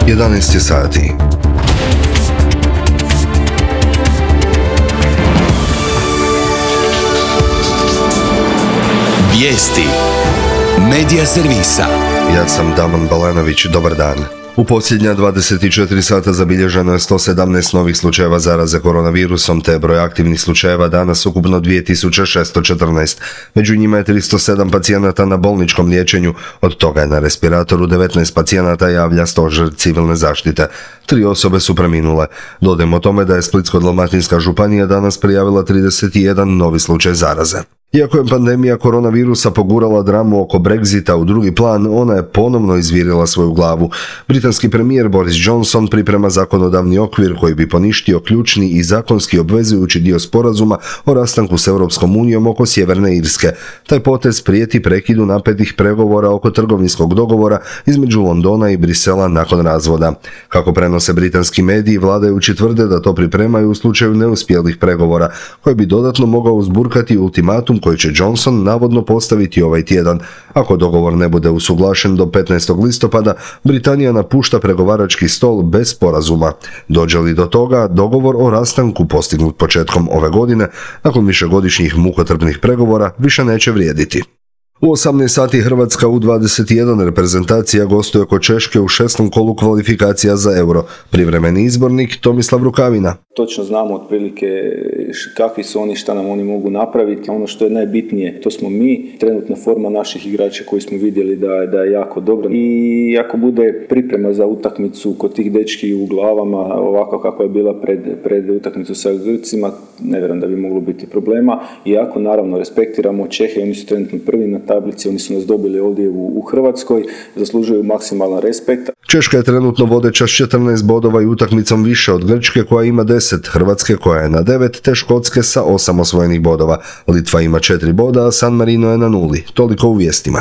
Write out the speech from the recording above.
11 je sati. Vijesti Medija servisa. Ja sam Daman Balanović, dobar dan. U posljednja 24 sata zabilježeno je 117 novih slučajeva zaraze koronavirusom, te broj aktivnih slučajeva danas ukupno 2614. Među njima je 307 pacijenata na bolničkom liječenju, od toga je na respiratoru 19 pacijenata, javlja stožer civilne zaštite. 3 osobe su preminule. Dodajmo tome da je Splitsko-dalmatinska županija danas prijavila 31 novi slučaj zaraze. Iako je pandemija koronavirusa pogurala dramu oko Brexita u drugi plan, ona je ponovno izvirila svoju glavu. Britanski premijer Boris Johnson priprema zakonodavni okvir koji bi poništio ključni i zakonski obvezujući dio sporazuma o rastanku s Europskom unijom oko Sjeverne Irske. Taj potez prijeti prekidu napetih pregovora oko trgovinskog dogovora između Londona i Brisela nakon razvoda. Kako prenose britanski mediji, vladajući tvrde da to pripremaju u slučaju neuspjelih pregovora, koji bi dodatno mogao uzburkati ultimatum koji će Johnson navodno postaviti ovaj tjedan. Ako dogovor ne bude usuglašen do 15. listopada, Britanija napušta pregovarački stol bez sporazuma. Dođe li do toga, dogovor o rastanku postignut početkom ove godine, nakon višegodišnjih mukotrpnih pregovora, više neće vrijediti. U 18 sati Hrvatska U21 reprezentacija gostuje kod Češke u 6. kolu kvalifikacija za Euro. Privremeni izbornik Tomislav Rukavina. Točno znamo otprilike kakvi su oni, šta nam oni mogu napraviti. Ono što je najbitnije, to smo mi. Trenutna forma naših igrača koji smo vidjeli da je jako dobra. I ako bude priprema za utakmicu kod tih dečki u glavama, ovako kako je bila pred utakmicu sa Grcima, ne vjerujem da bi moglo biti problema. Iako naravno respektiramo Čehe, oni su trenutno prvi na tablici, oni su nas dobili ovdje u Hrvatskoj, zaslužuju maksimalan respekt. Češka je trenutno vodeća s 14 bodova i utakmicom više od Grčke koja ima 10, Hrvatske koja je na 9, te Škotske sa 8 osvojenih bodova. Litva ima 4 boda, a San Marino je na 0. Toliko u vijestima.